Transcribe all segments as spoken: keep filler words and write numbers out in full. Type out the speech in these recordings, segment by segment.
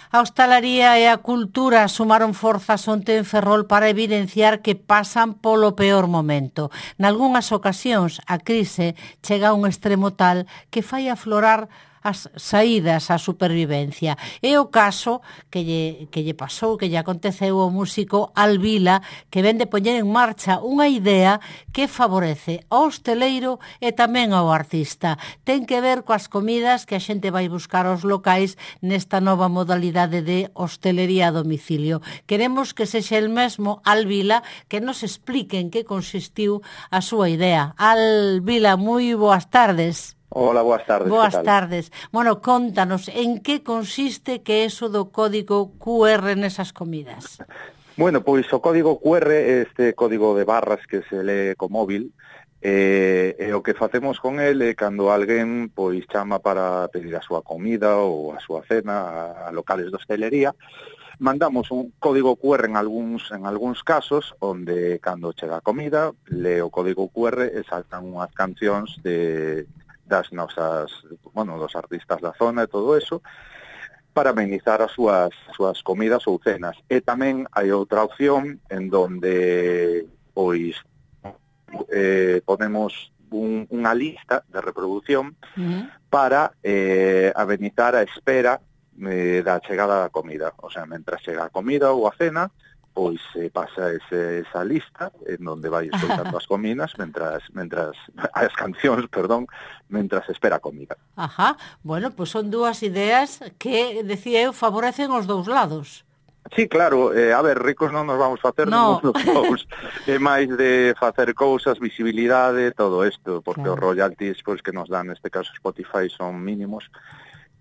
A hostalaría e a cultura sumaron forzas onte en Ferrol para evidenciar que pasan polo peor momento. Nalgunhas ocasións, a crise chega a un extremo tal que fai aflorar as saídas á supervivencia. É o caso que lle, que lle pasou, que lle aconteceu ao músico Alvila, que ven de poñer en marcha unha idea que favorece ao hosteleiro e tamén ao artista. Ten que ver coas comidas que a xente vai buscar aos locais nesta nova modalidade de hostelería a domicilio. Queremos que sexa el mesmo Alvila que nos explique en que consistiu a súa idea. Alvila, moi boas tardes. Hola, boas tardes. Boas tardes. Bueno, contanos, en que consiste que é eso do código cu erre nesas comidas? Bueno, pois o código cu erre é este código de barras que se lee co móvil, e, e o que facemos con el é cando alguén pois chama para pedir a súa comida ou a súa cena a locales de hostelería, mandamos un código cu erre en algúns en algúns casos onde cando chega a comida lee o código cu erre e saltan unhas cancións de das nosas, bueno, dos artistas da zona e todo eso, para amenizar as súas, súas comidas ou cenas. E tamén hai outra opción en donde, pois, eh, ponemos un, unha lista de reproducción uh-huh. para eh, amenizar a espera eh, da chegada da comida. O sea, mentras chega a comida ou a cena, pois se eh, pasa ese, esa lista en donde vai escoitando as comidas mentras, mentras as cancións, perdón, mentras espera a comida. Ajá, bueno, pois son dúas ideas que, decía eu, favorecen os dous lados. Sí, claro, eh, a ver, ricos non nos vamos facer no. ninguns dos dous. É máis de facer cousas, visibilidade, todo isto, porque claro. Os royalties pois, que nos dan, neste caso Spotify, son mínimos,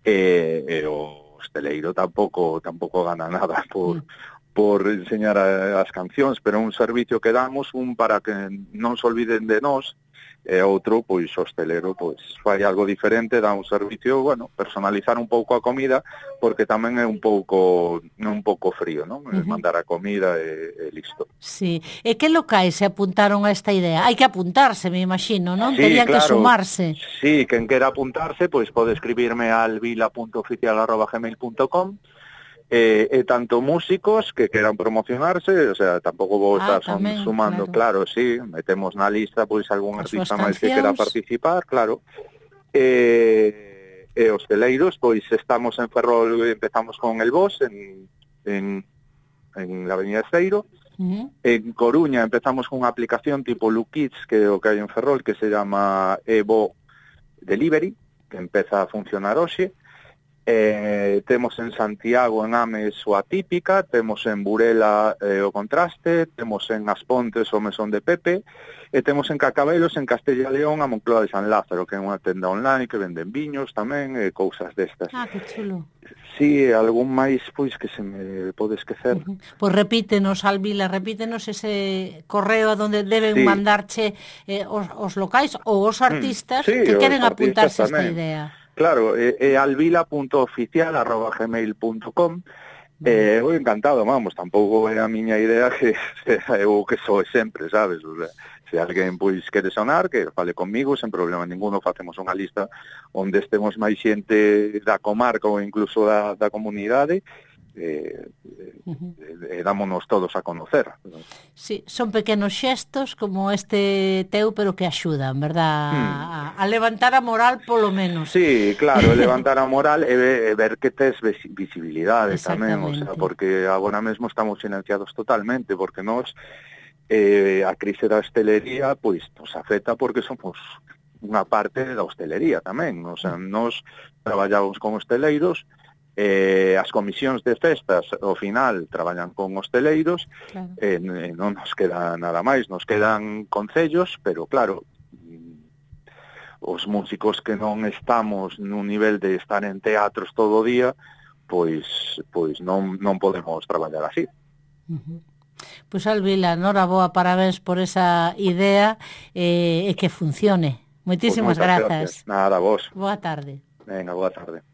e, e o hosteleiro tampouco, tampouco gana nada por... Mm. por enseñar a, as cancións, pero un servicio que damos, un para que non se olviden de nós, e outro, pois, hostelero, pois, fai algo diferente, dá un servicio, bueno, personalizar un pouco a comida, porque tamén é un pouco un pouco frío, non? Uh-huh. Mandar a comida e, e listo. Sí, e que locais se apuntaron a esta idea? Hai que apuntarse, me imagino, non? Sí, Terían claro, que sumarse. Sí, quen quera apuntarse, pois pode escribirme al vila punto oficial arroba gmail punto com. E, e tanto músicos que queran promocionarse, o sea, tampouco vou estar ah, tamén, sumando, claro. claro, sí, metemos na lista pois algún As artista máis que quera participar, claro. E, e hosteleiros, pois estamos en Ferrol, empezamos con el Bos en en en la Avenida Esteiro. Uh-huh. En Coruña empezamos con unha aplicación tipo Lukids, que é o que hai en Ferrol, que se llama Evo Delivery, que empeza a funcionar hoxe. Eh, temos en Santiago, en Ames, o Atípica, temos en Burela eh, o Contraste, temos en As Pontes o Mesón de Pepe, e temos en Cacabelos, en Castella e León, a Moncloa de San Lázaro, que é unha tenda online que venden viños tamén, e cousas destas. Ah, que chulo. Sí, algún máis, pois, que se me pode esquecer. Uh-huh. Pois repítenos, Alvila, repítenos ese correo a donde deben sí. mandarche eh, os, os locais ou os artistas mm, sí, que queren apuntarse a esta idea. Claro, é, é alvila punto oficial arroba gmail punto com. Eh, eu encantado, vamos, tampouco é a miña idea que eu que sou sempre, sabes? O sea, se alguén pois quere sonar, que fale comigo, sen problema ninguno, facemos unha lista onde estemos máis xente da comarca ou incluso da, da comunidade, eh, uh-huh. e, e dámonos todos a conocer. Sí, son pequenos xestos como este teu, pero que axudan, verdad? Hmm. A, a levantar a moral polo menos. Sí, claro, levantar a moral e, e ver que tes visibilidade tamén, o sea, porque agora mesmo estamos silenciados totalmente, porque nós eh, a crise da hostelería pois nos afecta porque somos unha parte da hostelería tamén, o sea, nós traballamos con hosteleiros. Eh, as comisións de festas ao final traballan con hosteleiros, claro. eh, non nos queda nada máis, nos quedan concellos, pero claro, os músicos que non estamos nun nivel de estar en teatros todo o día, pois pois non, non podemos traballar así. Uh-huh. Pois Alvila, noraboa, parabéns por esa idea e eh, que funcione. Moitísimas pues grazas. Gracias. Nada, vos. Boa tarde. Venga, boa tarde.